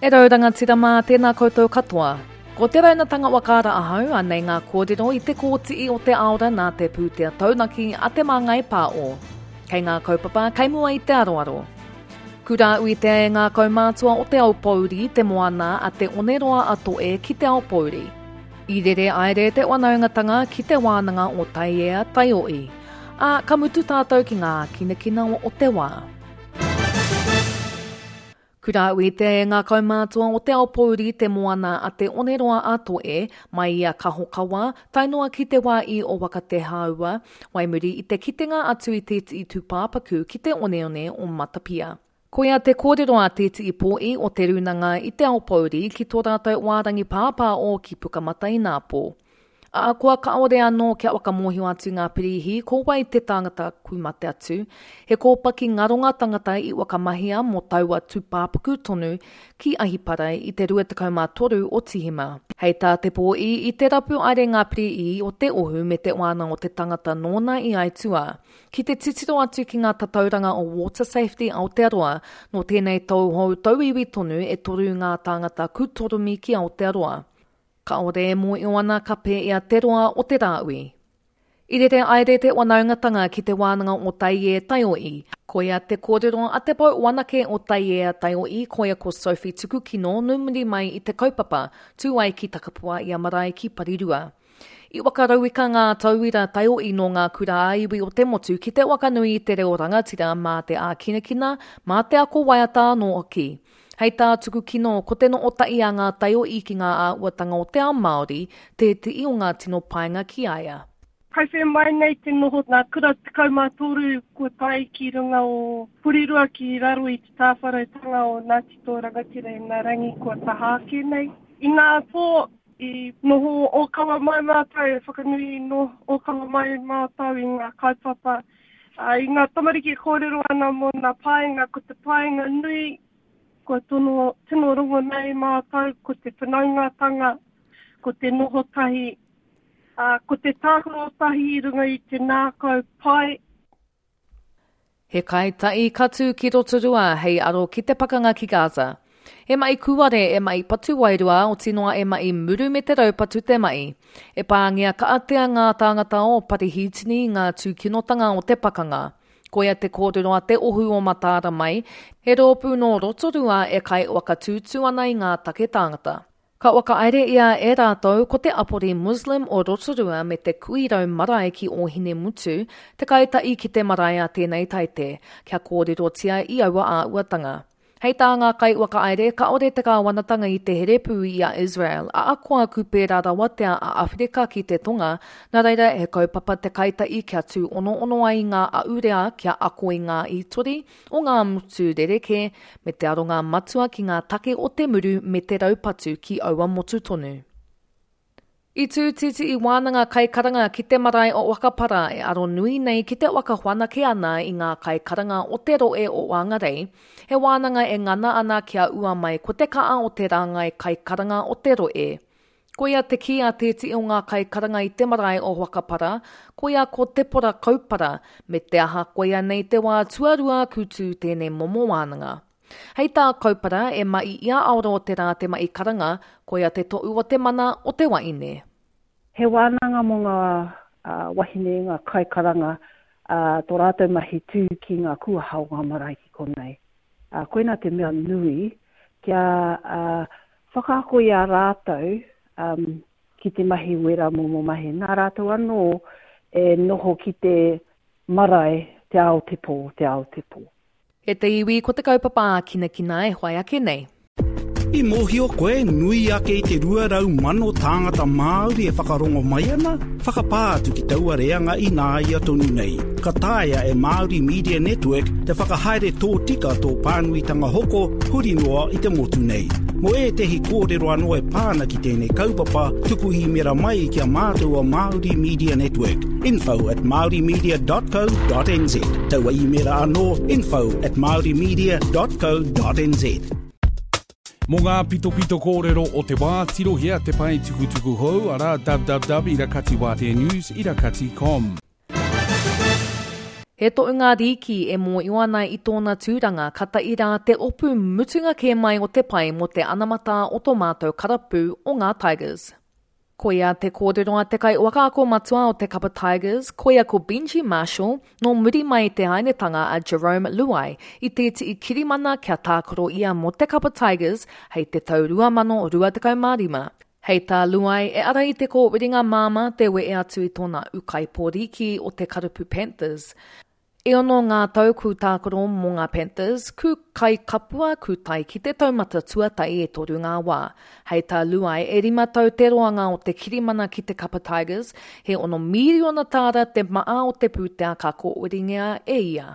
E rau rangatira mā, tēnā koutou katoa. Ko te raunatanga whakaara ahau, anei ngā kōrero i te kōtii o te aora nā te pūtea taunaki a Te Māngai Pāo. Kei ngā kaupapa kei mua i te aroaro. Kura uitea e ngā kaumātua o Te Aupōuri te moana a Te Oneroa a Toe ki Te Aupōuri. I rere aere te whanaungatanga ki te wānanga o Taiea Taio'i. Ā, ka mutu tātou ki ngā ākinakina o te wā. Kura uitea e ngā kaumātua o Te Aupōuri te moana a Te Oneroa a Toe, mai i a Kahokawa, tae noa ki te wā i o Wakatehāua, wai muri i te kitenga atu i tēti'i tūpāpaku ki te oneone o Matapia. Koia te kōrero a tēti'i pōi o Te Rūnanga i Te Aupōuri ki tō rātou wārangi pāpā o ki Pukamata inapō. Ahakoa kāore anō kia whakamōhio atu ngā pirīhi ko wai te tangata ku mate atu, he kōpaki ngaronga tangata i whakamahia mō taua tūpāpaku tonu ki Ahipara i te 23 o Tīhema. Hei tā Te Pōi, i te rapu aere ngā pirīhi o te ohu me te wāna o te tangata nōna i aituā. Ki te titiro atu ki ngā tatauranga o Water Safety Aotearoa, nō tēnei tauhou tauiwi tonu e toru ngā tāngata kūtoromi ki Aotearoa. Kaore e mōio ana ka pēia te roa o te rāui. I rere aere te wanaungatanga ki te wānanga o Taiē Taio'i. Koia te kōrero a te pou wanake o Taiea Taio'i koia ko Sophie Tukukino nō muri mai i te kaupapa tū ai ki Takapua i a marae ki Parirua. I whakarauika ngā tauira taio'i nō ngā kura ā-iwi o te motu ki te wakanui i te reo rangatira mā te ākinakina, mā te ako waiata anō hoki. Hei tā Tukukino, ko te nootaʻi a ngā taioʻi ki ngā āhuatanga o te ao Māori, tēteʻi o ngā tino painga ki a ia. Kai whē mai nei te noho ngā kura 13 kua tae ki runga o Porirua ki raro i te tāwharautanga o Ngāti Toa Rangatira i ngā rangi kua taha ake nei. I ngā pō i noho ōkawa mai mātou, e whakanui noho ōkawa mai mātou i ngā kaupapa, i ngā tamariki e kōrero ana mō ngā painga, ko te painga nui Kua tono, tino rongo nei mātou ko te whanaungatanga, ko te noho tahi, ā, ko te tākaro tahi i runga i te nākau pai. He kaitaʻi ka tū ki Rotorua hei aro ki te pakanga ki Gaza. He maʻi kūare, e maʻi patu wairua, oti noa e maʻi muru me te raupatu te maʻi. E pāngia kaatea ngā tāngata o Parihītini i ngā tūkinotanga o te pakanga. Koia te kōrero a Te Ohu o Mataara mai, he rōpū nō Rotorua e kai whakatūtū ana i ngā take tāngata. Ka whakahaere ia e rātou ko te apori Muslim o Rotorua me te Kuirau marae ki Ōhinemutu, te kaitaʻi ki te marae a tēnei taite, kia kōrerotia i aua āhuatanga. Hei tā ngā kaiwhakahaere, kāore te kāwanatanga i te here pū i a Israel, ahakoa ku pērā rawa tea a Awherika ki te Tonga, nā reira he kaupapa te kaitaʻi kia tūonoono ai ngā ahurea kia ako i ngā hītori o ngā motu rerekē me te aronga matua ki ngā take o te muru me te raupatu ki aua motu tonu. I tū titi i wānanga kaikaranga ki te marae o Whakapara e aro nui nei ki te whakawhanake ana i ngā kaikaranga o te rohe o Whangarei, he wānanga e ngana ana kia ua mai ko te kaa o te rāngai kaikaranga o te rohe. Koia te kī a tētihi o ngā kaikaranga i te marae o Whakapara, koia ko Tepora Kaupara, me te aha koia nei te wā tuarua ku tū tēnei momo wānanga. Hei tā Kaupara, e maʻi i a Aoro o te rā te maʻi karanga, koia te toʻu o te mana o te waine. He wānanga mō ngā wahine, ngā kaikaranga, tō rātou mahi tū ki ngā kuaha o ngā marae ki konei. Koinā te mea nui, kia whakaako i a rātou ki te mahi wera momo mahi. Nā rātou anō e noho ki te marae, te ao te pō, te ao te pō. E te iwi, ko te kaupapa ākinakina e whai ake nei. I mōhio koe, nui ake i te 200,000 tāngata Māori e whakarongo mai ana? Whakapā atu ki taua reanga ināia tonu nei. Ka taea e Māori Media Network te whakahaere tōtika tō pānuitanga hoko huri noa i te motu nei. Mō ētehi kōrero anō e pā ana ki tēnei kaupapa, tuku īmera mai ki a mātou o Māori Media Network, info at māorimedia.co.nz. Taua īmera anō, info at māorimedia.co.nz. Mō ngā pitopito kōrero o te wā, tirohia te pae tukutuku hou, arā www irakatiwāteanews irakati com. He tohunga rīki e mōio ana i tōna tūranga ka tae rā te opu mutunga kē mai o te pai mō te anamata o tō mātou karapu o ngā Tigers. Koia te kōrero a te kaiwhakaako matua o te kapa Tigers, koia ko Benji Marshall, nō muri mai i te hainetanga a Jarome Luai i tētehi kirimana kia tākaro ia mō te kapa Tigers hei te tau 2025. Hei tā Luai, e ara i te kōwiringa māmā te wehe atu i tōna ūkaipō rīki o te karapu Panthers. E ono ngā tau kū tākaro mō ngā Panthers, kū kai kapua, kū tae ki te taumata tuatahi e toru ngā wā. Hei tā Luai, e rima tau te roanga o te kirimana ki te kapa Tigers, he ono mīriona tāra te maa o te pūtea ka kōwiringia e ia.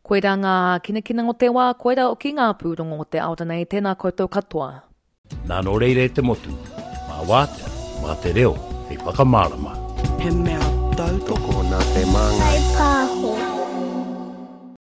Koirā ngā ākinakina o te wā, koirā hoki ngā pūrongo o te ao ranei, tēnā koutou katoa. Nā nō reira e te motu, mā wātea, mā te reo hei whakamārama. He mea tautoko. Tokona te māngai.